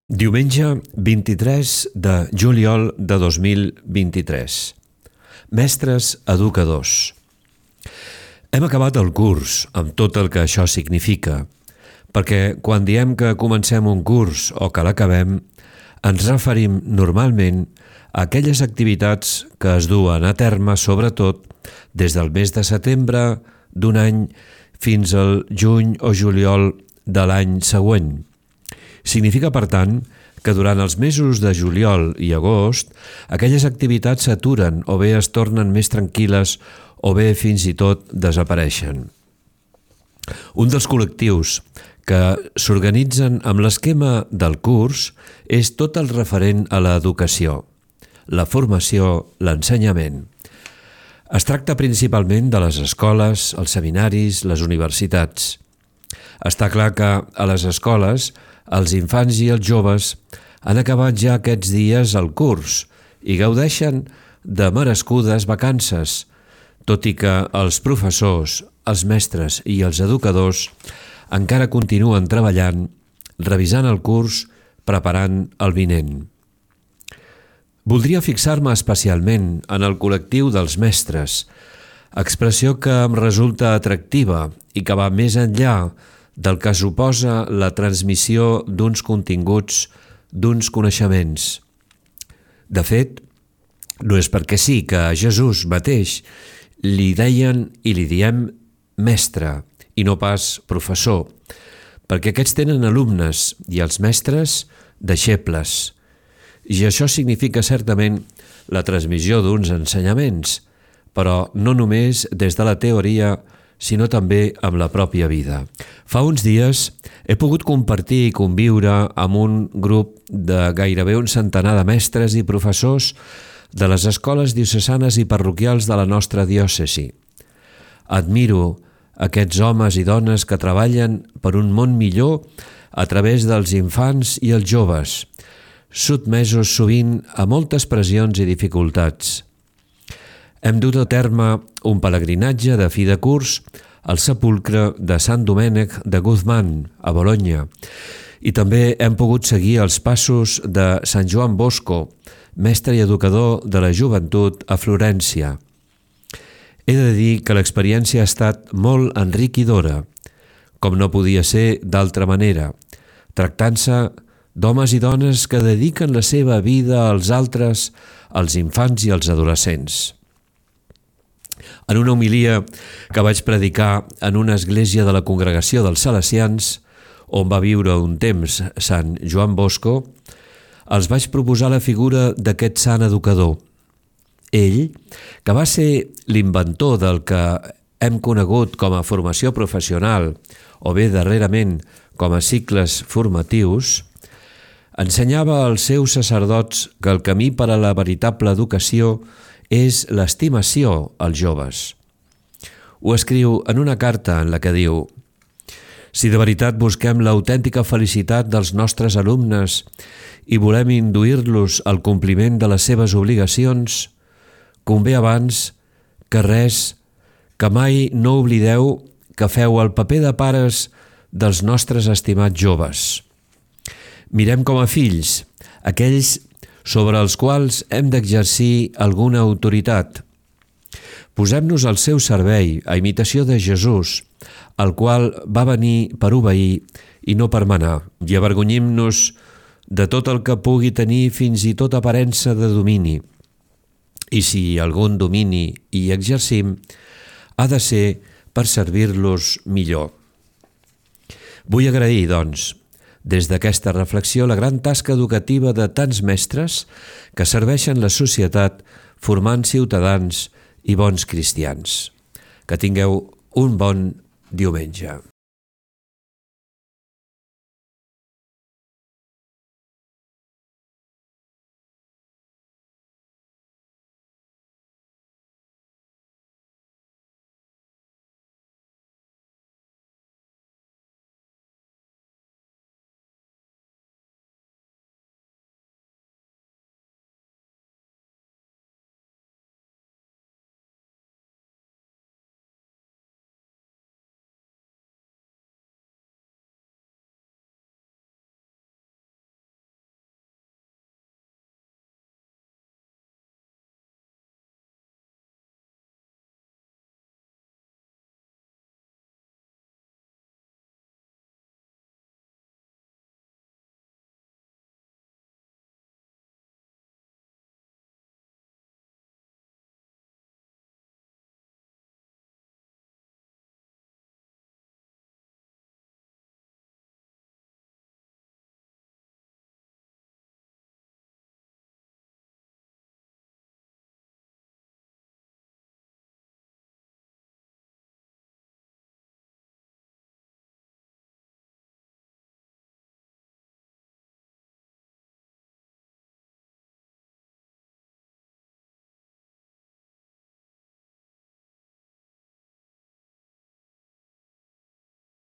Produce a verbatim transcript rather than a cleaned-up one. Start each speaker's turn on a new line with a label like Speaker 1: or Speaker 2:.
Speaker 1: Diumenge vint-i-tres de juliol de dos mil vint-i-tres. Mestres educadors. Hem acabat el curs, amb tot el que això significa, perquè quan diem que comencem un curs o que l'acabem, ens referim normalment a aquelles activitats que es duen a terme sobretot des del mes de setembre d'un any fins al juny o juliol de l'any següent. Significa, per tant, que durant els mesos de juliol i agost aquelles activitats s'aturen o bé es tornen més tranquil·les o bé fins i tot desapareixen. Un dels col·lectius que s'organitzen amb l'esquema del curs és tot el referent a l'educació, la formació, l'ensenyament. Es tracta principalment de les escoles, els seminaris, les universitats. Està clar que a les escoles els infants i els joves han acabat ja aquests dies el curs i gaudeixen de merescudes vacances, tot i que els professors, els mestres i els educadors encara continuen treballant, revisant el curs, preparant el vinent. Voldria fixar-me especialment en el col·lectiu dels mestres, expressió que em resulta atractiva i que va més enllà del que suposa la transmissió d'uns continguts, d'uns coneixements. De fet, no és perquè sí que a Jesús mateix li deien i li diem mestre i no pas professor, perquè aquests tenen alumnes i els mestres deixebles. I això significa certament la transmissió d'uns ensenyaments, però no només des de la teoria, sinó també amb la pròpia vida. Fa uns dies he pogut compartir i conviure amb un grup de gairebé un centenar de mestres i professors de les escoles diocesanes i parroquials de la nostra diòcesi. Admiro aquests homes i dones que treballen per un món millor a través dels infants i els joves, sotmesos sovint a moltes pressions i dificultats. Hem dut a terme un pelegrinatge de fi de curs al sepulcre de Sant Domènec de Guzmán, a Bolonya, i també hem pogut seguir els passos de Sant Joan Bosco, mestre i educador de la joventut a Florència. He de dir que l'experiència ha estat molt enriquidora, com no podia ser d'altra manera, tractant-se d'homes i dones que dediquen la seva vida als altres, als infants i als adolescents. En una homilia que vaig predicar en una església de la Congregació dels Salesians, on va viure un temps Sant Joan Bosco, els vaig proposar la figura d'aquest sant educador. Ell, que va ser l'inventor del que hem conegut com a formació professional o bé darrerament com a cicles formatius, ensenyava als seus sacerdots que el camí per a la veritable educació és l'estimació als joves. Ho escriu en una carta en la que diu: «Si de veritat busquem l'autèntica felicitat dels nostres alumnes i volem induir-los al compliment de les seves obligacions, convé abans que res que mai no oblideu que feu el paper de pares dels nostres estimats joves. Mirem com a fills, aquells sobre els quals hem d'exercir alguna autoritat. Posem-nos al seu servei, a imitació de Jesús, el qual va venir per obeir i no per manar, i avergonyim-nos de tot el que pugui tenir fins i tot aparença de domini. I si algun domini hi exercim, ha de ser per servir-los millor». Vull agrair, doncs, des d'aquesta reflexió la gran tasca educativa de tants mestres que serveixen la societat formant ciutadans i bons cristians. Que tingueu un bon diumenge.